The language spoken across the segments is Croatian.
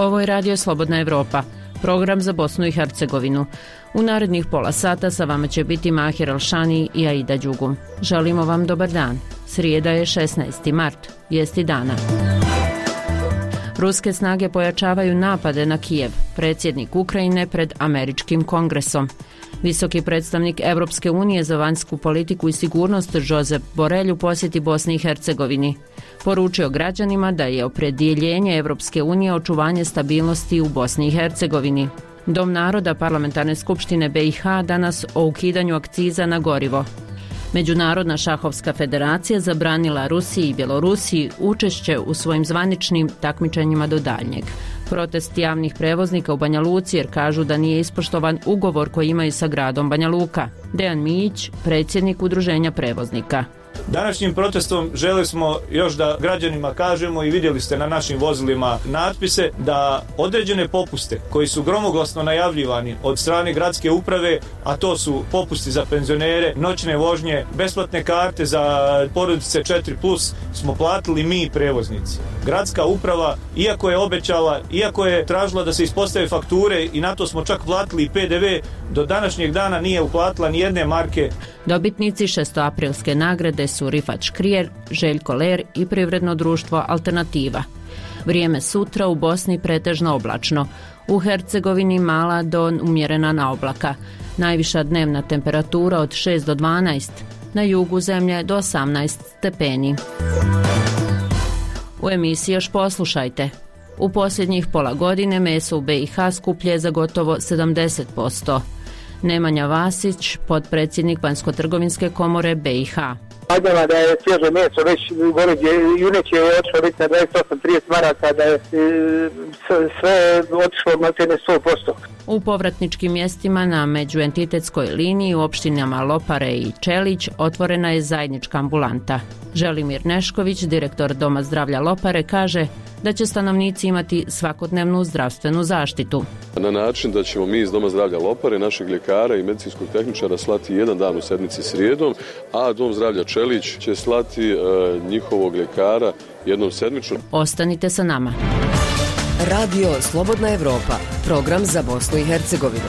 Ovo je Radio Slobodna Evropa, program za Bosnu i Hercegovinu. U narednih pola sata sa vama će biti Mahir Alšani i Aida Đugum. Želimo vam dobar dan. Srijeda je 16. mart, vijesti dana. Ruske snage pojačavaju napade na Kijev, predsjednik Ukrajine pred američkim kongresom. Visoki predstavnik Europske unije za vanjsku politiku i sigurnost Josep Borrell u posjeti Bosni i Hercegovini. Poručio građanima da je opredjeljenje Europske unije očuvanje stabilnosti u Bosni i Hercegovini. Dom naroda Parlamentarne skupštine BiH danas o ukidanju akciza na gorivo. Međunarodna šahovska federacija zabranila Rusiji i Bjelorusiji učešće u svojim zvaničnim takmičenjima do daljnjeg. Protest javnih prevoznika u Banja Luci jer kažu da nije ispoštovan ugovor koji imaju sa gradom Banja Luka. Dejan Mijić, predsjednik Udruženja prevoznika. Današnjim protestom želeli smo još da građanima kažemo i vidjeli ste na našim vozilima natpise da određene popuste koji su gromoglasno najavljivani od strane gradske uprave, a to su popusti za penzionere, noćne vožnje, besplatne karte za porodice 4+, smo platili mi prevoznici. Gradska uprava, iako je obećala, iako je tražila da se ispostave fakture i na to smo čak platili i PDV, do današnjeg dana nije uplatila ni jedne marke. Dobitnici 6. nagrade su Rifat Škrijer, Željko Ler i privredno društvo Alternativa. Vrijeme sutra u Bosni pretežno oblačno. U Hercegovini mala do umjerena na oblaka. Najviša dnevna temperatura od 6 do 12. Na jugu zemlje do 18 stepeni. U emisiji još poslušajte. U posljednjih pola godine meso u BiH skuplje za gotovo 70%. Nemanja Vasić, potpredsjednik Vanjsko-trgovinske komore BiH. Vidjela da je svježe meso već juneće je otišlo biti na 28-30 maraka, da je sve otišlo na 100%. U povratničkim mjestima na međuentitetskoj liniji u opštinama Lopare i Čelić otvorena je zajednička ambulanta. Želimir Nešković, direktor Doma zdravlja Lopare, kaže da će stanovnici imati svakodnevnu zdravstvenu zaštitu. Na način da ćemo mi iz Doma zdravlja Lopare, našeg ljekara i medicinskog tehničara slati jedan dan u sedmici srijedom, a Dom zdravlja Čelić će slati njihovog ljekara jednom sedmično. Ostanite sa nama. Radio Slobodna Evropa, program za Bosnu i Hercegovinu.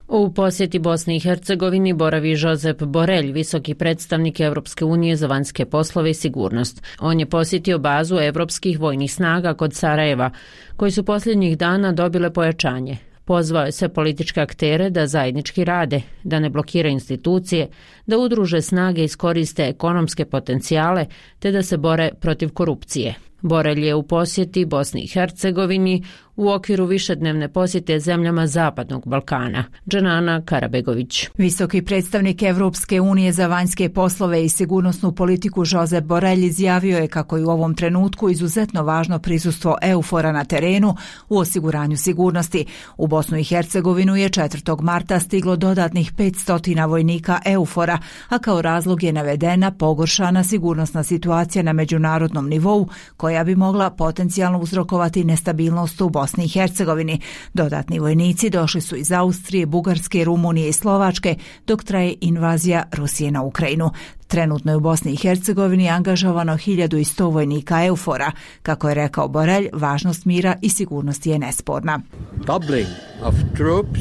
U posjeti Bosni i Hercegovini boravi Josep Borrell, visoki predstavnik Europske unije za vanjske poslove i sigurnost. On je posjetio bazu europskih vojnih snaga kod Sarajeva, koji su posljednjih dana dobile pojačanje. Pozvao je sve političke aktere da zajednički rade, da ne blokiraju institucije, da udruže snage i iskoriste ekonomske potencijale, te da se bore protiv korupcije. Borrell je u posjeti Bosni i Hercegovini u okviru višednevne posjete zemljama Zapadnog Balkana. Dženana Karabegović. Visoki predstavnik Evropske unije za vanjske poslove i sigurnosnu politiku Josep Borrell izjavio je kako je u ovom trenutku izuzetno važno prisustvo EUFOR-a na terenu u osiguranju sigurnosti. U Bosnu i Hercegovinu je 4. marta stiglo dodatnih 500 vojnika EUFOR-a, a kao razlog je navedena pogoršana sigurnosna situacija na međunarodnom nivou koja bi mogla potencijalno uzrokovati nestabilnost u Bosni i Hercegovini. Dodatni vojnici došli su iz Austrije, Bugarske, Rumunije i Slovačke dok traje invazija Rusije na Ukrajinu. Trenutno je u Bosni i Hercegovini angažovano 1100 vojnika EUFOR-a. Kako je rekao Borrell, važnost mira i sigurnosti je nesporna. Doubling of troops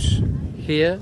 here.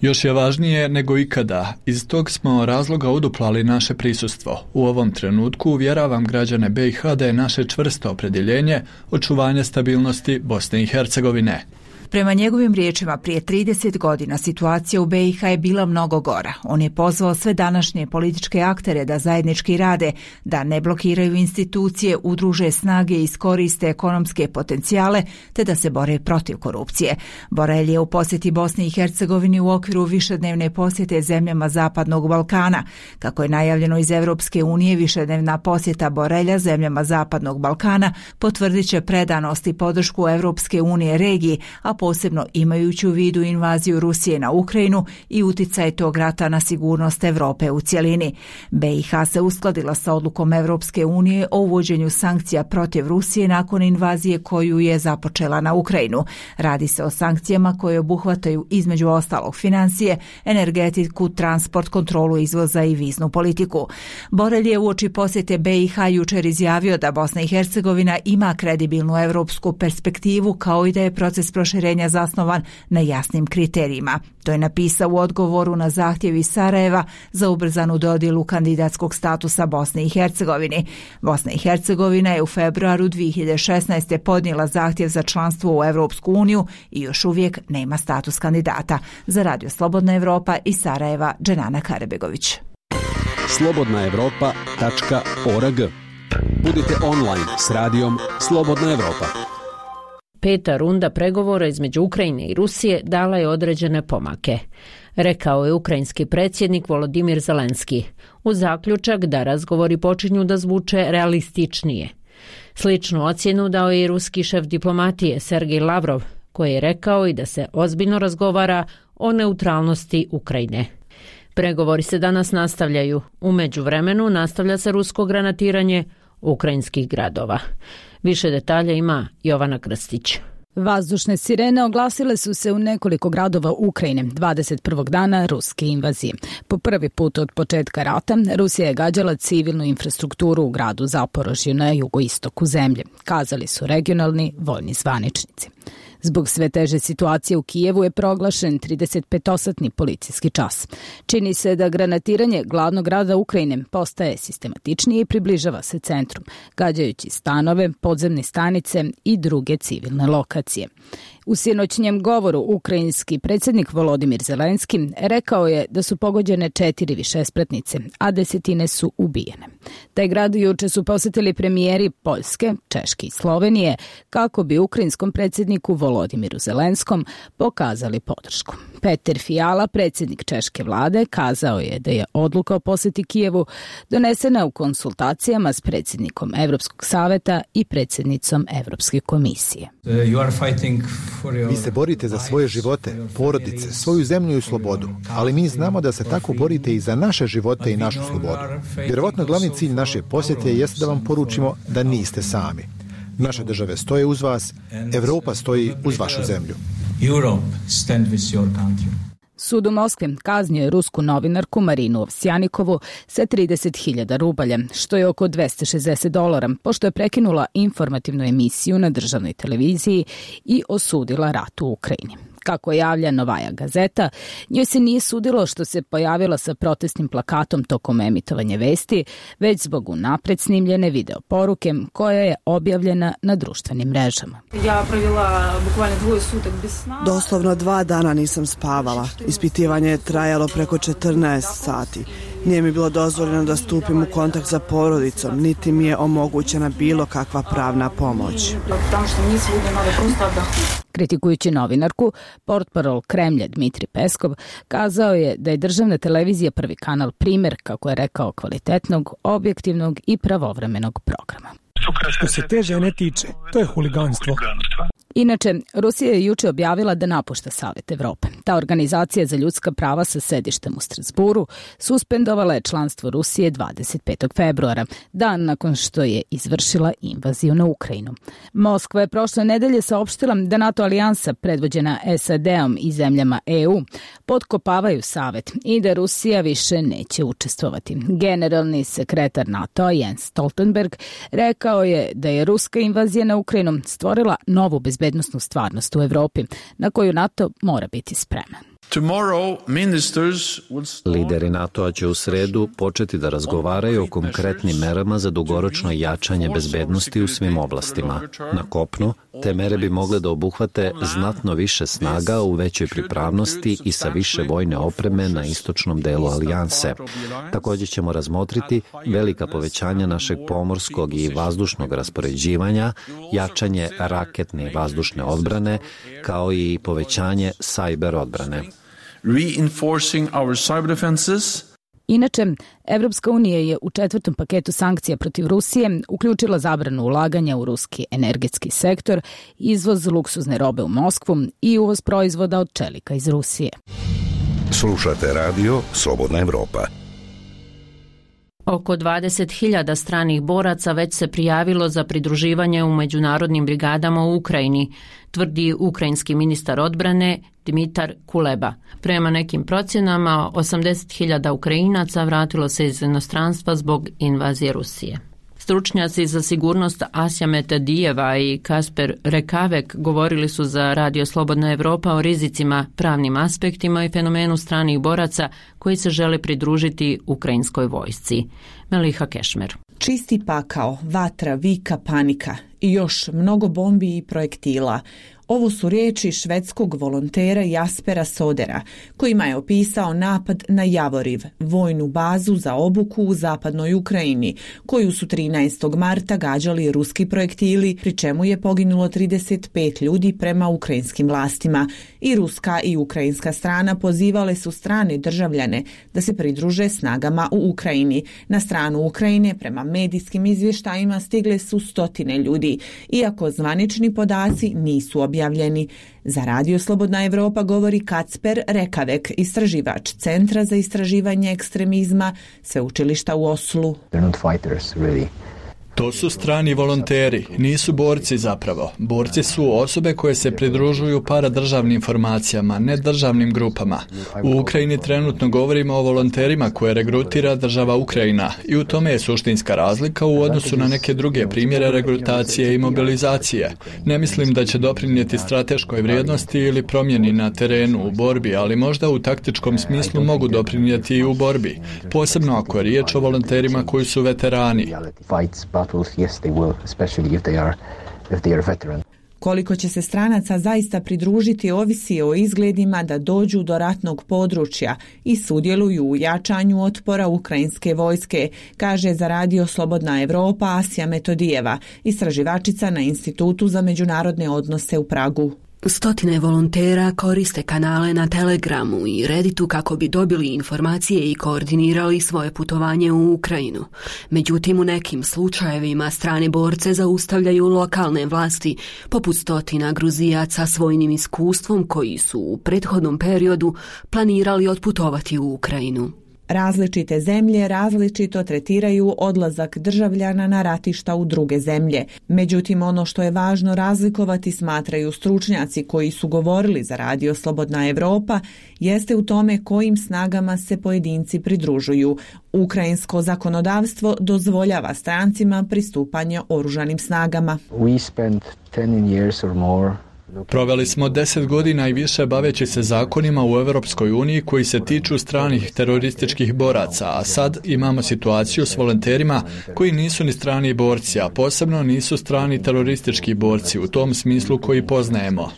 Još je važnije nego ikada. Iz tog smo razloga uduplali naše prisustvo. U ovom trenutku uvjeravam građane BiH da je naše čvrsto opredjeljenje očuvanje stabilnosti Bosne i Hercegovine. Prema njegovim riječima, prije 30 godina situacija u BiH je bila mnogo gora. On je pozvao sve današnje političke aktere da zajednički rade, da ne blokiraju institucije, udruže snage i iskoriste ekonomske potencijale, te da se bore protiv korupcije. Borrell je u posjeti Bosni i Hercegovini u okviru višednevne posjete zemljama Zapadnog Balkana. Kako je najavljeno iz Europske unije, višednevna posjeta Borrella zemljama Zapadnog Balkana potvrdit će predanost i podršku Europske unije regiji, a posebno imajući u vidu invaziju Rusije na Ukrajinu i uticaj tog rata na sigurnost Evrope u cjelini. BiH se uskladila sa odlukom Evropske unije o uvođenju sankcija protiv Rusije nakon invazije koju je započela na Ukrajinu. Radi se o sankcijama koje obuhvataju između ostalog financije, energetiku, transport, kontrolu izvoza i viznu politiku. Borelj je uoči posjete BiH jučer izjavio da Bosna i Hercegovina ima kredibilnu europsku perspektivu kao i da je proces proširenja zasnovan na jasnim kriterijima. To je napisao u odgovoru na zahtjev iz Sarajeva za ubrzanu dodjelu kandidatskog statusa Bosne i Hercegovini. Bosna i Hercegovina je u februaru 2016. podnijela zahtjev za članstvo u Europsku uniju i još uvijek nema status kandidata. Za Radio Slobodna Evropa iz Sarajeva, Dženana Karebegović. slobodnaevropa.org. Budite online s radijom Slobodna Evropa. Peta runda pregovora između Ukrajine i Rusije dala je određene pomake, rekao je ukrajinski predsjednik Volodimir Zelenski, uz zaključak da razgovori počinju da zvuče realističnije. Sličnu ocjenu dao je i ruski šef diplomatije Sergej Lavrov, koji je rekao i da se ozbiljno razgovara o neutralnosti Ukrajine. Pregovori se danas nastavljaju. U međuvremenu nastavlja se rusko granatiranje ukrajinskih gradova. Više detalja ima Jovana Krstić. Vazdušne sirene oglasile su se u nekoliko gradova Ukrajine 21. dana ruske invazije. Po prvi put od početka rata Rusija je gađala civilnu infrastrukturu u gradu Zaporožju na jugoistoku zemlje, kazali su regionalni vojni zvaničnici. Zbog sve teže situacije u Kijevu je proglašen 35-satni policijski čas. Čini se da granatiranje glavnog grada Ukrajine postaje sistematičnije i približava se centru, gađajući stanove, podzemne stanice i druge civilne lokacije. U sinoćnjem govoru ukrajinski predsjednik Volodimir Zelenski rekao je da su pogođene 4 višespratnice, a desetine su ubijene. Taj grad juče su posjetili premijeri Poljske, Češke i Slovenije kako bi ukrajinskom predsjedniku Volodimiru Zelenskom pokazali podršku. Peter Fiala, predsjednik češke vlade, kazao je da je odluka o posjeti Kijevu donesena u konsultacijama s predsjednikom Europskog saveta i predsjednicom Europske komisije. Vi se borite za svoje živote, porodice, svoju zemlju i slobodu, ali mi znamo da se tako borite i za naše živote i našu slobodu. Vjerovatno glavni cilj naše posjete jeste da vam poručimo da niste sami. Naše države stoje uz vas, Evropa stoji uz vašu zemlju. Sud u Moskvi kaznio je rusku novinarku Marinu Ovsjanikovu sa 30.000 rubalja, što je oko $260, pošto je prekinula informativnu emisiju na državnoj televiziji i osudila rat u Ukrajini. Kako javlja Novaja Gazeta, njoj se nije sudilo što se pojavila sa protestnim plakatom tokom emitovanja vesti, već zbog unapred snimljene video poruke koja je objavljena na društvenim mrežama. Doslovno 2 dana nisam spavala. Ispitivanje je trajalo preko 14 sati. Nije mi bilo dozvoljeno da stupim u kontakt sa porodicom, niti mi je omogućena bilo kakva pravna pomoć. Kritikujući novinarku, portparol Kremlja Dmitri Peskov kazao je da je državna televizija Prvi kanal primjer, kako je rekao, kvalitetnog, objektivnog i pravovremenog programa. Što se te žene tiče, to je huliganstvo. Inače, Rusija je juče objavila da napušta Savet Evrope. Ta organizacija za ljudska prava sa sedištem u Strasburu suspendovala je članstvo Rusije 25. februara, dan nakon što je izvršila invaziju na Ukrajinu. Moskva je prošle nedelje saopštila da NATO alijansa predvođena SAD-om i zemljama EU potkopavaju Savet i da Rusija više neće učestvovati. Generalni sekretar NATO Jens Stoltenberg rekao je da je ruska invazija na Ukrajinu stvorila novu bezbednosnu stvarnost u Evropi, na koju NATO mora biti spreman. Lideri NATO-a će u sredu početi da razgovaraju o konkretnim merama za dugoročno jačanje bezbednosti u svim oblastima. Na kopnu, te mere bi mogle da obuhvate znatno više snaga u većoj pripravnosti i sa više vojne opreme na istočnom delu alijanse. Također ćemo razmotriti velika povećanja našeg pomorskog i vazdušnog raspoređivanja, jačanje raketne i vazdušne odbrane, kao i povećanje sajber odbrane. Inače, Evropska unija je u 4. paketu sankcija protiv Rusije uključila zabranu ulaganja u ruski energetski sektor, izvoz luksuzne robe u Moskvu i uvoz proizvoda od čelika iz Rusije. Slušate radio Slobodna Evropa. Oko 20.000 stranih boraca već se prijavilo za pridruživanje u međunarodnim brigadama u Ukrajini, tvrdi ukrajinski ministar odbrane Dimitar Kuleba. Prema nekim procjenama, 80.000 Ukrajinaca vratilo se iz inostranstva zbog invazije Rusije. Stručnjaci za sigurnost Asja Metodijeva i Kasper Rekavek govorili su za Radio Slobodna Evropa o rizicima, pravnim aspektima i fenomenu stranih boraca koji se žele pridružiti ukrajinskoj vojsci. Meliha Kešmer. Čisti pakao, vatra, vika, panika i još mnogo bombi i projektila. Ovo su riječi švedskog volontera Jaspera Sodera, kojima je opisao napad na Javoriv, vojnu bazu za obuku u zapadnoj Ukrajini, koju su 13. marta gađali ruski projektili, pri čemu je poginulo 35 ljudi prema ukrajinskim vlastima. I ruska i ukrajinska strana pozivale su strane državljane da se pridruže snagama u Ukrajini. Na stranu Ukrajine, prema medijskim izvještajima, stigle su stotine ljudi, iako zvanični podaci nisu objavljeni. Za Radio Slobodna Evropa govori Kasper Rekavek, istraživač Centra za istraživanje ekstremizma Sveučilišta u Oslu. To su strani volonteri, nisu borci zapravo. Borci su osobe koje se pridružuju paradržavnim formacijama, ne državnim grupama. U Ukrajini trenutno govorimo o volonterima koje regrutira država Ukrajina i u tome je suštinska razlika u odnosu na neke druge primjere regrutacije i mobilizacije. Ne mislim da će doprinijeti strateškoj vrijednosti ili promjeni na terenu u borbi, ali možda u taktičkom smislu mogu doprinijeti i u borbi, posebno ako je riječ o volonterima koji su veterani. Yes, they will, especially if they are veteran. Koliko će se stranaca zaista pridružiti ovisi o izgledima da dođu do ratnog područja i sudjeluju u jačanju otpora ukrajinske vojske, kaže za Radio Slobodna Evropa Asja Metodijeva, istraživačica na Institutu za međunarodne odnose u Pragu. Stotine volontera koriste kanale na Telegramu i Redditu kako bi dobili informacije i koordinirali svoje putovanje u Ukrajinu. Međutim, u nekim slučajevima strane borce zaustavljaju lokalne vlasti, poput stotina Gruzijaca s vojnim iskustvom koji su u prethodnom periodu planirali otputovati u Ukrajinu. Različite zemlje različito tretiraju odlazak državljana na ratišta u druge zemlje. Međutim, ono što je važno razlikovati, smatraju stručnjaci koji su govorili za Radio Slobodna Evropa, jeste u tome kojim snagama se pojedinci pridružuju. Ukrajinsko zakonodavstvo dozvoljava strancima pristupanje oružanim snagama. Proveli smo 10 godina i više baveći se zakonima u Europskoj uniji koji se tiču stranih terorističkih boraca, a sad imamo situaciju s volonterima koji nisu ni strani borci, a posebno nisu strani teroristički borci u tom smislu koji poznajemo.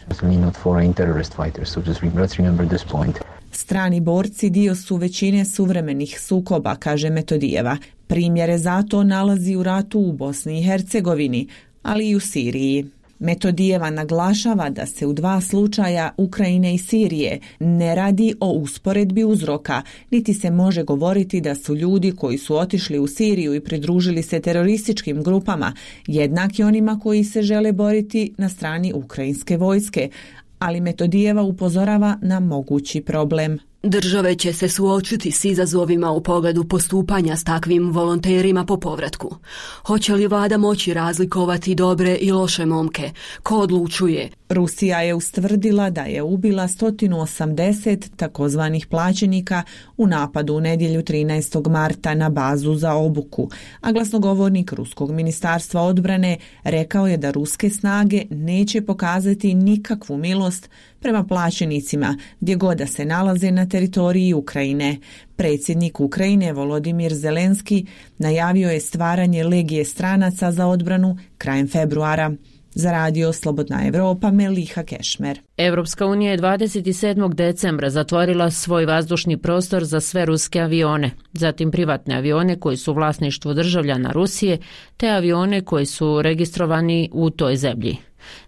Strani borci dio su većine suvremenih sukoba, kaže Metodijeva. Primjere za to nalazi u ratu u Bosni i Hercegovini, ali i u Siriji. Metodijeva naglašava da se u dva slučaja Ukrajine i Sirije ne radi o usporedbi uzroka, niti se može govoriti da su ljudi koji su otišli u Siriju i pridružili se terorističkim grupama jednaki onima koji se žele boriti na strani ukrajinske vojske, ali Metodijeva upozorava na mogući problem. Države će se suočiti s izazovima u pogledu postupanja s takvim volonterima po povratku. Hoće li vlada moći razlikovati dobre i loše momke? Ko odlučuje? Rusija je ustvrdila da je ubila 180 takozvanih plaćenika u napadu u nedjelju 13. marta na bazu za obuku, a glasnogovornik Ruskog ministarstva odbrane rekao je da ruske snage neće pokazati nikakvu milost prema plaćenicima gdje god da se nalaze na teritoriji Ukrajine. Predsjednik Ukrajine Volodimir Zelenski najavio je stvaranje legije stranaca za odbranu krajem februara. Za Radio Slobodna Evropa, Meliha Kešmer. Evropska unija je 27. decembra zatvorila svoj vazdušni prostor za sve ruske avione, zatim privatne avione koji su u vlasništvu državljana Rusije, te avione koji su registrovani u toj zemlji.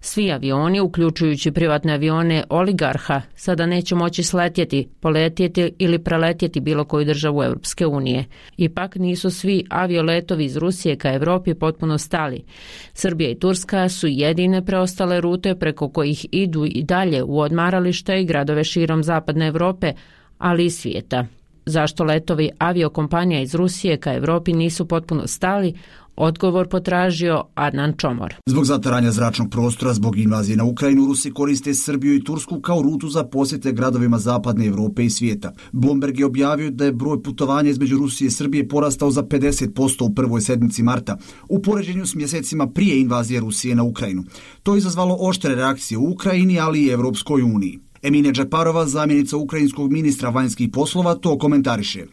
Svi avioni, uključujući privatne avione oligarha, sada neće moći sletjeti, poletjeti ili preletjeti bilo koju državu Europske unije. Ipak nisu svi avioletovi iz Rusije ka Europi potpuno stali. Srbija i Turska su jedine preostale rute preko kojih idu i dalje u odmarališta i gradove širom zapadne Europe, ali i svijeta. Zašto letovi aviokompanija iz Rusije ka Europi nisu potpuno stali? Odgovor potražio Adnan Čomor. Zbog zatvaranja zračnog prostora zbog invazije na Ukrajinu, Rusi koriste Srbiju i Tursku kao rutu za posjete gradovima zapadne Europe i svijeta. Bloomberg je objavio da je broj putovanja između Rusije i Srbije porastao za 50% u prvoj sedmici marta, u poređenju s mjesecima prije invazije Rusije na Ukrajinu. To je izazvalo oštre reakcije u Ukrajini, ali i Europskoj uniji. Emine Džeparova, zamjenica ukrajinskog ministra vanjskih poslova, to komentariše.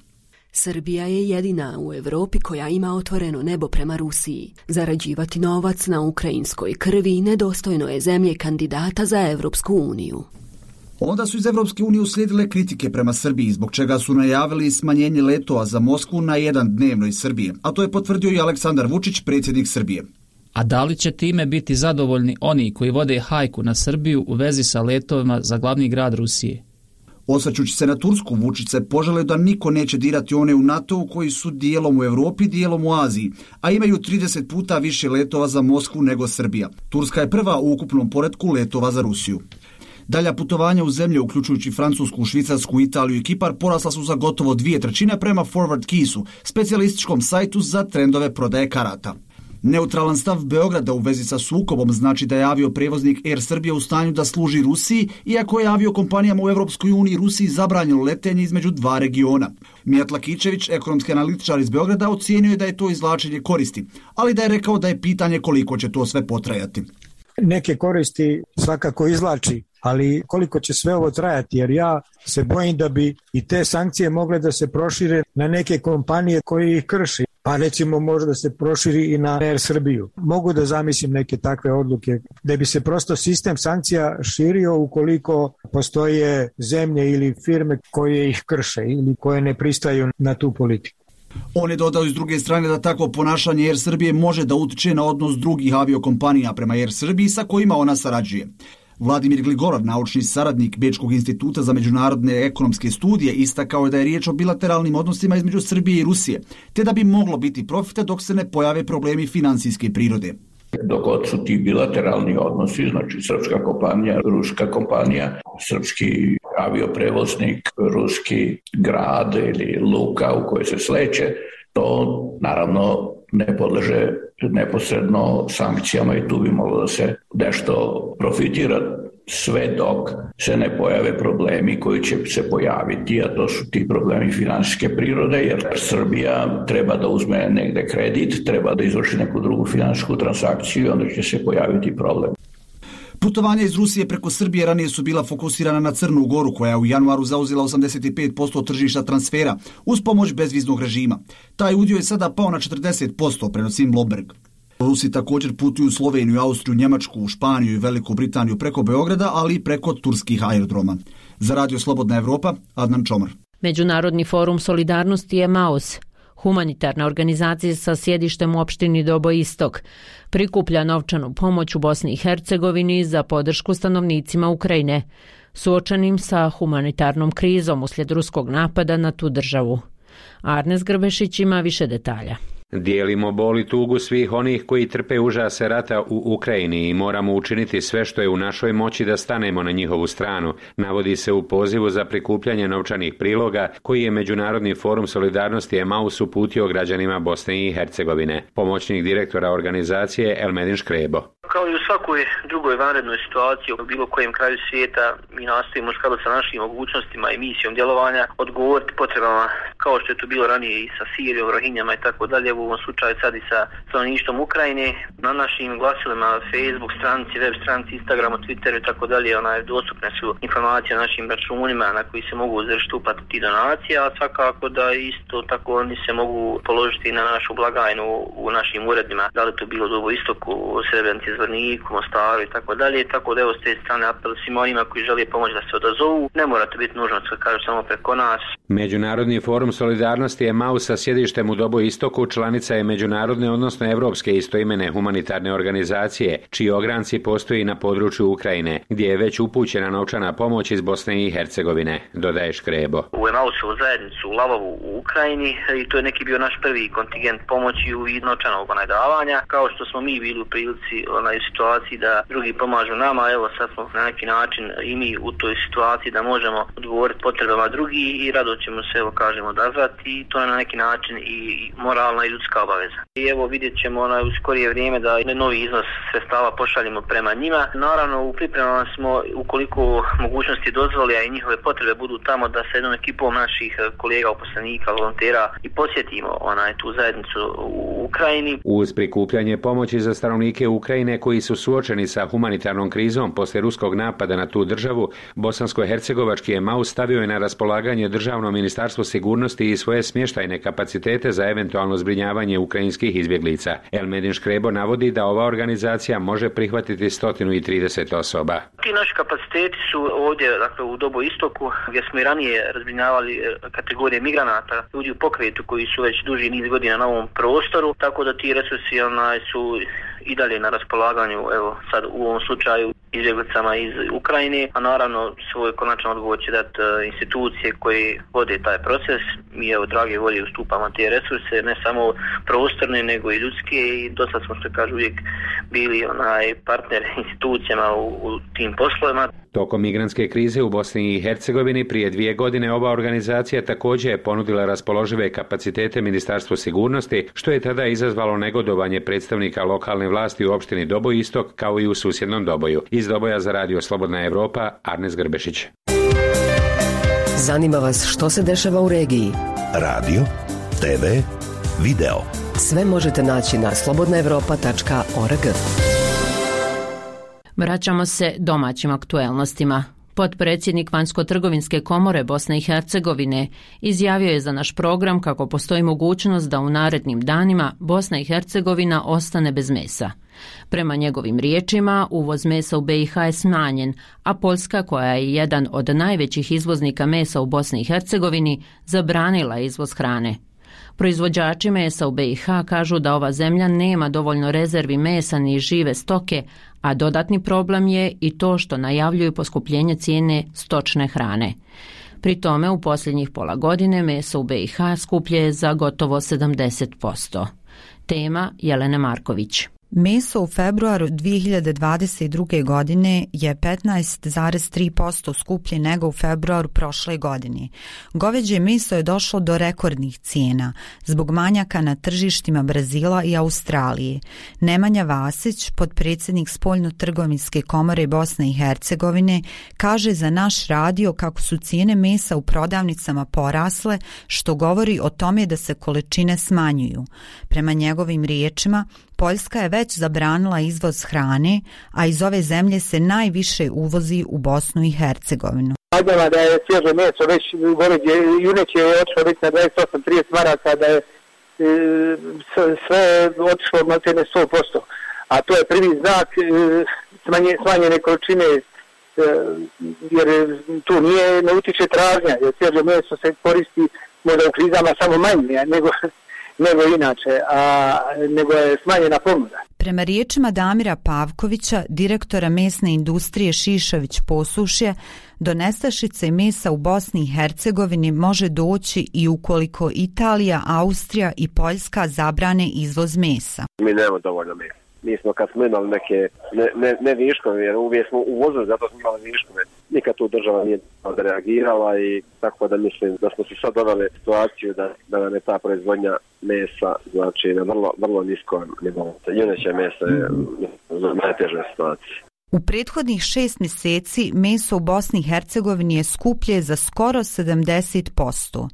Srbija je jedina u Europi koja ima otvoreno nebo prema Rusiji. Zarađivati novac na ukrajinskoj krvi nedostojno je zemlje kandidata za Evropsku uniju. Onda su iz Evropske unije uslijedile kritike prema Srbiji, zbog čega su najavili smanjenje letova za Moskvu na jedan dnevno iz Srbije, a to je potvrdio i Aleksandar Vučić, predsjednik Srbije. A da li će time biti zadovoljni oni koji vode hajku na Srbiju u vezi sa letovima za glavni grad Rusije? Osvrćući se na Tursku, Vučić se požalio da niko neće dirati one u NATO koji su dijelom u Europi, dijelom u Aziji, a imaju 30 puta više letova za Moskvu nego Srbija. Turska je prva u ukupnom poretku letova za Rusiju. Dalja putovanja u zemlje, uključujući Francusku, Švicarsku, Italiju i Kipar, porasla su za gotovo 2/3 prema Forward Keysu, specijalističkom sajtu za trendove prodaje karata. Neutralan stav Beograda u vezi sa sukobom znači da je avioprijevoznik Air Srbija u stanju da služi Rusiji, iako je aviokompanijama u Europskoj uniji Rusiji zabranjeno letenje između dva regiona. Mijat Lakićević, ekonomski analitičar iz Beograda, ocijenio je da je to izvlačenje koristi, ali da je rekao da je pitanje koliko će to sve potrajati. Neke koristi svakako izvlači, ali koliko će sve ovo trajati, jer ja se bojim da bi i te sankcije mogle da se prošire na neke kompanije koje ih krši. Pa recimo može da se proširi i na Air Srbiju. Mogu da zamislim neke takve odluke da bi se prosto sistem sankcija širio ukoliko postoje zemlje ili firme koje ih krše ili koje ne pristaju na tu politiku. On je dodao iz druge strane da takvo ponašanje Air Srbije može da utiče na odnos drugih aviokompanija prema Air Srbiji sa kojima ona sarađuje. Vladimir Gligorov, naučni saradnik Bečkog instituta za međunarodne ekonomske studije, istakao je da je riječ o bilateralnim odnosima između Srbije i Rusije, te da bi moglo biti profita dok se ne pojave problemi financijske prirode. Dok god su ti bilateralni odnosi, znači srpska kompanija, ruska kompanija, srpski avioprevoznik, ruski grad ili luka u kojoj se sleće, to naravno ne podleže neposredno sankcijama i tu bi moglo da se nešto profitira, sve dok se ne pojave problemi koji će se pojaviti, a to su ti problemi finansijske prirode, jer Srbija treba da uzme negde kredit, treba da izvrši neku drugu finansijsku transakciju i onda će se pojaviti problem. Putovanja iz Rusije preko Srbije ranije su bila fokusirana na Crnu Goru, koja je u januaru zauzela 85% tržišta transfera uz pomoć bezviznog režima. Taj udio je sada pao na 40%, prenosi Bloomberg. Rusi također putuju u Sloveniju, Austriju, Njemačku, Španiju i Veliku Britaniju preko Beograda, ali i preko turskih aerodroma. Za Radio Slobodna Evropa, Adnan Čomor. Međunarodni forum solidarnosti Emaus, humanitarna organizacija sa sjedištem u opštini Dobo Istok, prikuplja novčanu pomoć u Bosni i Hercegovini za podršku stanovnicima Ukrajine, suočenim sa humanitarnom krizom uslijed ruskog napada na tu državu. Arnes Grbešić ima više detalja. Dijelimo bol i tugu svih onih koji trpe užase rata u Ukrajini i moramo učiniti sve što je u našoj moći da stanemo na njihovu stranu, navodi se u pozivu za prikupljanje novčanih priloga koji je Međunarodni forum solidarnosti Emaus uputio građanima Bosne i Hercegovine. Pomoćnik direktora organizacije Elmedin Škrebo. Kao i u svakoj drugoj vanrednoj situaciji u bilo kojem kraju svijeta, mi nastojimo u skladu sa našim mogućnostima i misijom djelovanja odgovoriti potrebama kao što je to bilo ranije i sa Sirijom, Rohinjama i tako dalje, u ovom slučaju sad i sa stanovništvom Ukrajine. Na našim glasilima, Facebook stranici, web stranici, Instagramu, Twitteru i tako dalje, dostupne su informacije o našim računima na koji se mogu izvršiti uplatu tih donacija, a svakako da isto tako oni se mogu položiti na našu blagajnu u našim uredima, da li to bilo u Dobo Istoku, Srebrenici, Zvorniku, Mostaru i tako dalje, tako da evo s te strane apel svima onima koji žele pomoći da se odazovu, ne mora to biti nužno da kažu samo preko nas. Međunarodni forum solidarnosti EMAU sa sjedištem u Dobu Istoku članica je međunarodne, odnosno evropske istoimene humanitarne organizacije, čiji ogranci postoji na području Ukrajine, gdje je već upućena novčana pomoć iz Bosne i Hercegovine, dodaje Škrebo. U EMAU-ovu zajednicu u Lavovu u Ukrajini i to je neki bio naš prvi kontingent pomoći u vidu novčanog davanja. Kao što smo mi bili u prilici u situaciji da drugi pomažu nama, evo sad smo na neki način i mi u toj situaciji da možemo odgovoriti potrebama drugi i rado ćemo se, evo kažemo, odazvati i to je na neki način i moralna i ljudska obaveza. I evo vidjet ćemo u skorije vrijeme da novi iznos sredstava pošaljemo prema njima. Naravno u pripremama smo, ukoliko mogućnosti dozvoli, a i njihove potrebe budu tamo, da sa jednom ekipom naših kolega, uposlenika, volontera i posjetimo tu zajednicu u Ukrajini. Uz prikupljanje pomoći za stanovnike Ukrajine koji su suočeni sa humanitarnom krizom poslije ruskog napada na tu državu, bosansko-hercegovački EMAU stavio je na raspolaganje Državno ministarstvo sigurnosti i svoje smještajne kapacitete za eventualno zbrinjavanje ukrajinskih izbjeglica. Elmedin Škrebo navodi da ova organizacija može prihvatiti 130 osoba. Ti naši kapaciteti su ovdje, dakle, u Dobu Istoku, gdje smo i ranije razbrinjavali kategorije migranata, ljudi u pokretu koji su već duži niz godina na ovom prostoru, tako da ti resursi su i dalje na raspolaganju, evo sad u ovom slučaju izbjeglicama iz Ukrajine, a naravno svoj konačan odgovor će dati institucije koje vode taj proces. Mi evo drage volje ustupamo te resurse, ne samo prostorne nego i ljudske i dosta smo, što kaže, uvijek bili partner institucijama u tim poslovima. Tokom migrantske krize u Bosni i Hercegovini prije 2 godine ova organizacija također je ponudila raspoložive kapacitete Ministarstvu sigurnosti, što je tada izazvalo negodovanje predstavnika lokalne vlasti u opštini Doboj Istok kao i u susjednom Doboju. Iz Doboja za Radio Slobodna Evropa, Arnes Grbešić. Zanima vas što se dešava u regiji? Radio, TV, video. Sve možete naći na slobodnaevropa.org. Vraćamo se domaćim aktuelnostima. Potpredsjednik Vanjsko-trgovinske komore Bosne i Hercegovine izjavio je za naš program kako postoji mogućnost da u narednim danima Bosna i Hercegovina ostane bez mesa. Prema njegovim riječima, uvoz mesa u BiH je smanjen, a Poljska, koja je jedan od najvećih izvoznika mesa u Bosni i Hercegovini, zabranila izvoz hrane. Proizvođači mesa u BiH kažu da ova zemlja nema dovoljno rezervi mesa ni žive stoke, a dodatni problem je i to što najavljuju poskupljenje cijene stočne hrane. Pri tome u posljednjih pola godine meso u BiH skuplje je za gotovo 70%. Tema Jelena Marković. Meso u februaru 2022. godine je 15,3% skuplje nego u februaru prošle godine. Goveđe meso je došlo do rekordnih cijena zbog manjaka na tržištima Brazila i Australije. Nemanja Vasić, potpredsjednik Spoljno-trgovinske komore Bosne i Hercegovine, kaže za naš radio kako su cijene mesa u prodavnicama porasle, što govori o tome da se količine smanjuju. Prema njegovim riječima, Poljska je već zabranila izvoz hrane, a iz ove zemlje se najviše uvozi u Bosnu i Hercegovinu. Valjava da je svježe meso već goveđe juneće je otišlo već na 28-30 maraka, da je sve otišlo na cene 100%. A to je prvi znak smanjene količine, jer tu ne utiče tražnja, jer svježe meso se koristi možda u krizama samo manje nego inače, nego je smanjena ponuda. Prema riječima Damira Pavkovića, direktora mesne industrije Šišović Posušje, do nestašice mesa u Bosni i Hercegovini može doći i ukoliko Italija, Austrija i Poljska zabrane izvoz mesa. Mi nemamo dovoljno mesa. Mi smo kad smo imali neke ne viškove, jer uvijek smo uvozili, zato smo imali viškove. Nikad tu država nije reagirala i tako da mislim da smo se sad doveli situaciju da nam je ta proizvodnja mesa, znači na vrlo niskom nivou. Juneće mesa je u najtežoj situaciji. U prethodnih 6 mjeseci meso u Bosni i Hercegovini je skuplje za skoro 70%.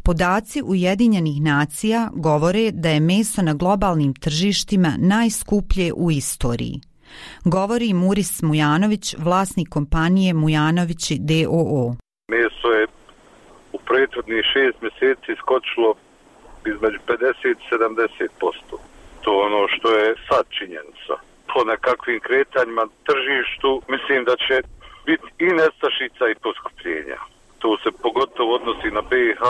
Podaci Ujedinjenih nacija govore da je meso na globalnim tržištima najskuplje u istoriji. Govori Muris Mujanović, vlasnik kompanije Mujanovići d.o.o. Meso je u prethodnih 6 mjeseci skočilo između 50-70%. To je ono što je sad činjenica. Po nekakvim kretanjima tržištu mislim da će biti i nestašica i poskupljenja. To se pogotovo odnosi na BiH,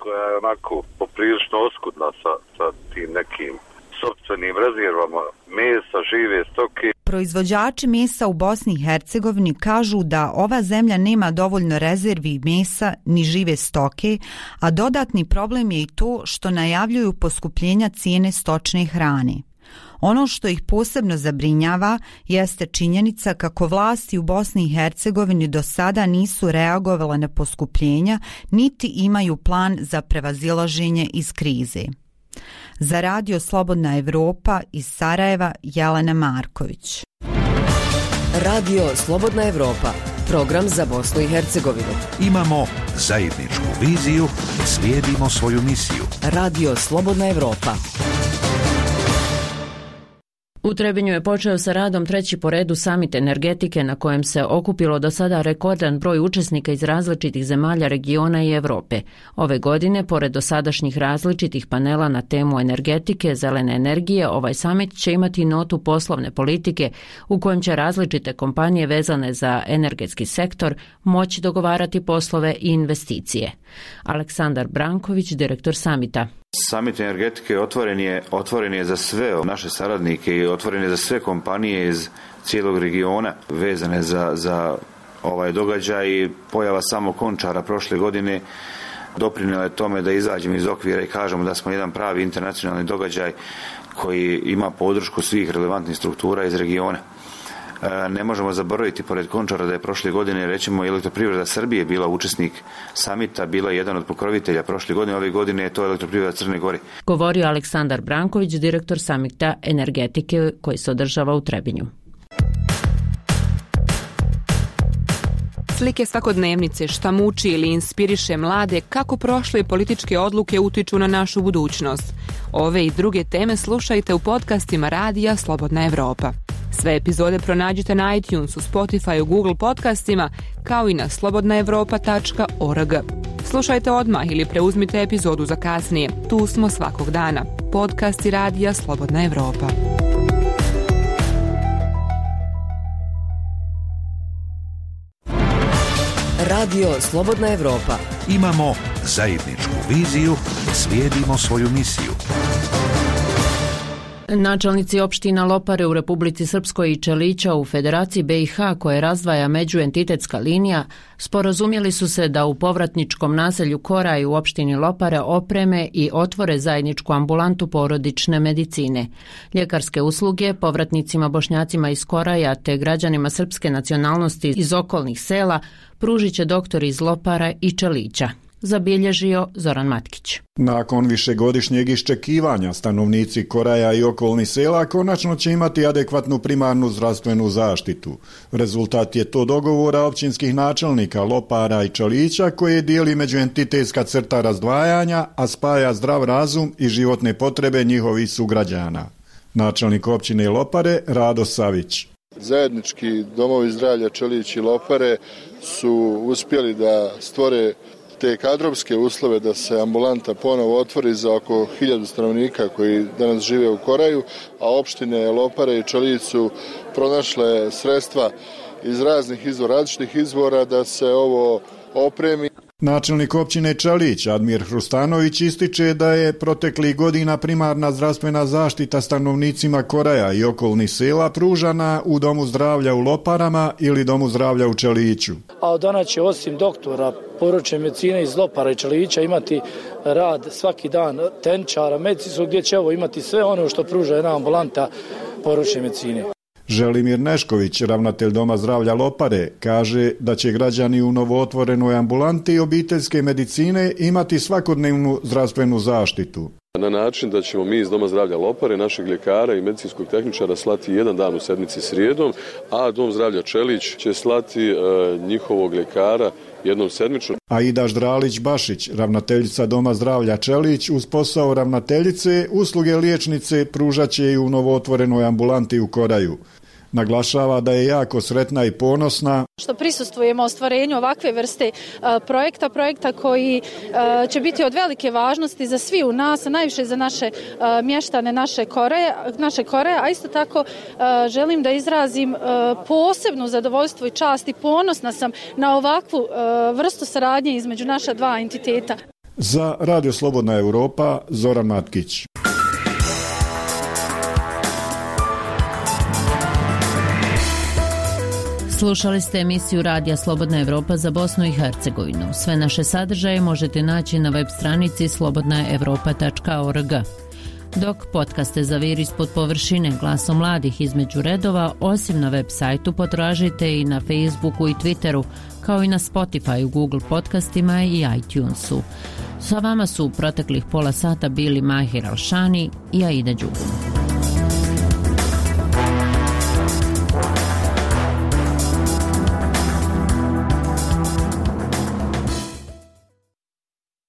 koja je onako poprilično oskudna sa tim nekim sopstvenim rezervama mesa, žive stoke. Proizvođači mesa u Bosni i Hercegovini kažu da ova zemlja nema dovoljno rezervi mesa ni žive stoke, a dodatni problem je i to što najavljuju poskupljenja cijene stočne hrane. Ono što ih posebno zabrinjava jeste činjenica kako vlasti u Bosni i Hercegovini do sada nisu reagovale na poskupljenja, niti imaju plan za prevazilaženje iz krize. Za Radio Slobodna Evropa iz Sarajeva, Jelena Marković. Radio Slobodna Evropa, program za Bosnu i Hercegovinu. Imamo zajedničku viziju, slijedimo svoju misiju. Radio Slobodna Evropa. U Trebinju je počeo sa radom treći po redu samit energetike na kojem se okupilo do sada rekordan broj učesnika iz različitih zemalja regiona i Europe. Ove godine, pored dosadašnjih različitih panela na temu energetike, zelene energije, ovaj samit će imati notu poslovne politike u kojem će različite kompanije vezane za energetski sektor moći dogovarati poslove i investicije. Aleksandar Branković, direktor samita. Samit energetike otvoren je za sve naše saradnike i otvoren je za sve kompanije iz cijelog regiona vezane za ovaj događaj i pojava samog Končara prošle godine doprinijela je tome da izađemo iz okvira i kažemo da smo jedan pravi internacionalni događaj koji ima podršku svih relevantnih struktura iz regiona. Ne možemo zaboraviti pored Končara da je prošle godine recimo Elektroprivreda Srbije bila učesnik samita, bila jedan od pokrovitelja prošle godine, ove godine je to Elektroprivreda Crne Gore. Govorio Aleksandar Branković, direktor samita energetike koji se održava u Trebinju. Slike svakodnevnice, šta muči ili inspiriše mlade, kako prošle političke odluke utiču na našu budućnost. Ove i druge teme slušajte u podcastima Radija Slobodna Evropa. Sve epizode pronađite na iTunesu, Spotifyu, Google podcastima, kao i na slobodnaevropa.org. Slušajte odmah ili preuzmite epizodu za kasnije. Tu smo svakog dana. Podcasti Radija Slobodna Evropa. Radio Slobodna Evropa. Imamo zajedničku viziju, slijedimo svoju misiju. Načelnici opština Lopare u Republici Srpskoj i Čelića u Federaciji BiH koje razdvaja međuentitetska linija sporazumjeli su se da u povratničkom naselju Koraj u opštini Lopare opreme i otvore zajedničku ambulantu porodične medicine. Ljekarske usluge povratnicima Bošnjacima iz Koraja te građanima srpske nacionalnosti iz okolnih sela pružit će doktori iz Lopara i Čelića. Zabilježio Zoran Matkić. Nakon višegodišnjeg iščekivanja stanovnici Koraja i okolnih sela konačno će imati adekvatnu primarnu zdravstvenu zaštitu. Rezultat je to dogovora općinskih načelnika Lopara i Čelića koje dijeli međuentitetska crta razdvajanja, a spaja zdrav razum i životne potrebe njihovih sugrađana. Načelnik općine Lopare Rado Savić. Zajednički domovi zdravlja Čelić i Lopare su uspjeli da stvore te kadrovske uslove da se ambulanta ponovo otvori za oko 1000 stanovnika koji danas žive u Koraju, a opštine Lopare i Čelić su pronašle sredstva iz različitih izvora da se ovo opremi. Načelnik općine Čelić, Admir Hrustanović, ističe da je proteklih godina primarna zdravstvena zaštita stanovnicima Koraja i okolnih sela pružana u Domu zdravlja u Loparama ili Domu zdravlja u Čeliću. A od danas će osim doktora porodične medicine iz Lopara i Čelića imati rad svaki dan tehničara medicinskog gdje će imati sve ono što pruža jedna ambulanta porodične medicine. Želimir Nešković, ravnatelj Doma zdravlja Lopare, kaže da će građani u novootvorenoj ambulanti obiteljske medicine imati svakodnevnu zdravstvenu zaštitu. Na način da ćemo mi iz Doma zdravlja Lopare, našeg ljekara i medicinskog tehničara slati jedan dan u sedmici srijedom, a Dom zdravlja Čelić će slati njihovog ljekara jednom sedmično. Aida Ždralić-Bašić, ravnateljica Doma zdravlja Čelić, uz posao ravnateljice usluge liječnice pružat će i u novootvorenoj ambulanti u Koraju. Naglašava da je jako sretna i ponosna što prisustvujemo ostvarenju ovakve vrste projekta koji će biti od velike važnosti za svi u nas, a najviše za naše mještane naše Koreje, a isto tako želim da izrazim posebno zadovoljstvo i čast i ponosna sam na ovakvu vrstu saradnje između naša dva entiteta. Za Radio Slobodna Europa, Zoran Matkić. Slušali ste emisiju Radija Slobodna Evropa za Bosnu i Hercegovinu. Sve naše sadržaje možete naći na web stranici slobodnaevropa.org. Dok podcaste za Vir ispod površine, Glasom mladih između redova, osim na web sajtu potražite i na Facebooku i Twitteru, kao i na Spotify, Google podcastima i iTunesu. Sa vama su u proteklih pola sata bili Mahir Alšani i Aida Đugum.